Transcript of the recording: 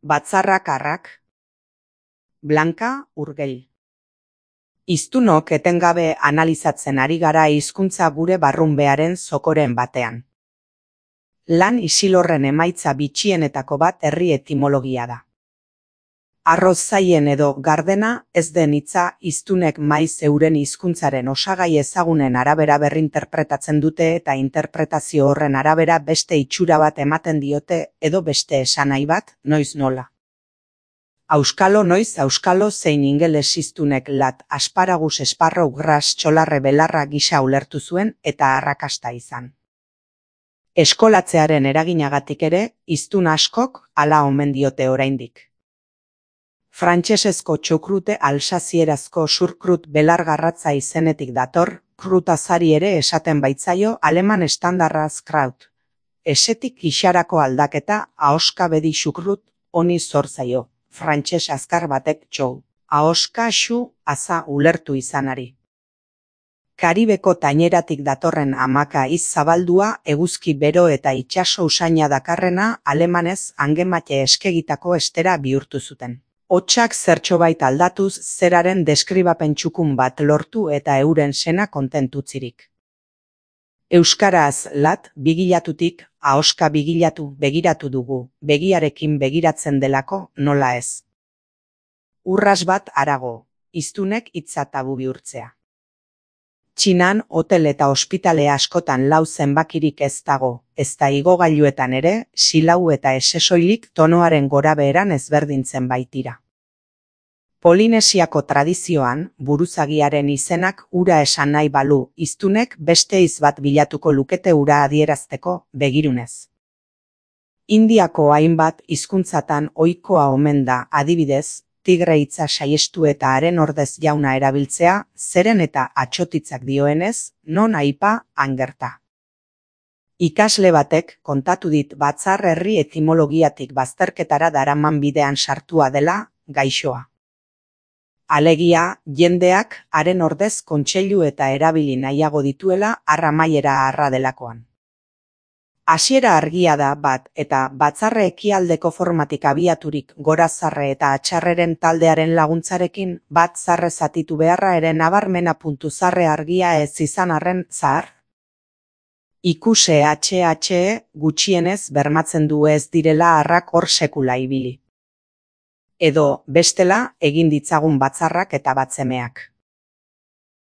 Batzarrak arrak. Blanka Urgell. Hiztunok etengabe analizatzen ari gara hizkuntza gure barrunbearen zokoren batean. Lan isilorren emaitza bitxienetako bat herri etimologia da. Arroz zaien edo gardena ez den hitza hiztunek maiz euren hizkuntzaren osagai ezagunen arabera berrinterpretatzen dute eta interpretazio horren arabera beste itxura bat ematen diote edo beste esanahi bat, noiz nola. Auskalo noiz auskalo zein ingeles hiztunek lat asparagus esparro gras txolarre belarra gisa ulertu zuen eta arrakasta izan. Eskolatzearen eraginagatik ere, hiztun askok hala omen diote oraindik. Frantsesezko txukrute alsazierazko surkrut belargarratza izenetik dator, krutazari ere esaten baitzaio aleman estandarraz kraut. Esetik gixarako aldaketa ahoska bedi xukrut honi zor zaio, frantses azkar batek txou, ahoska xu aza ulertu izanari. Karibeko taineratik datorren amaka iz zabaldua eguzki bero eta itsaso usaina dakarrena alemanez angemate eskegitako estera bihurtu zuten. Hotsak zertxobait aldatuz zeraren deskribapen txukun bat lortu eta euren sena kontentutzirik. Euskaraz lat bigilatutik ahoska bigilatu begiratu dugu, begiarekin begiratzen delako nola ez. Urras bat harago, hiztunek hitza tabu bihurtzea. Txinan hotel eta ospitale askotan lau zenbakirik ez dago, ezta igogailuetan ere, silau eta esesoilik tonoaren gorabeheran ezberdintzen baitira. Polinesiako tradizioan, buruzagiaren izenak ura esan nahi balu, hiztunek beste hitz bat bilatuko lukete ura adierazteko, begirunez. Indiako hainbat hizkuntzatan ohikoa omen da, adibidez, tigre hitza saiestu eta haren ordez jauna erabiltzea, zeren eta atsotitzak dioenez, non aipa, angerta. Ikasle batek kontatu dit batzar herri etimologiatik bazterketara daraman bidean sartua dela, gaixoa. Alegia, jendeak haren ordez kontseilu eta erabili nahiago dituela arra maiera arra delakoan. Hasiera argia da bat eta batzarre ekialdeko formatik abiaturik gorazarre eta atxarreren taldearen laguntzarekin bat zarre zatitu beharra ere nabarmena puntu zarre argia ez izan arren zahar. Ikuse HHE gutxienez bermatzen du ez direla arrak hor sekula ibili. Edo bestela egin ditzagun batzarrak eta batzemeak.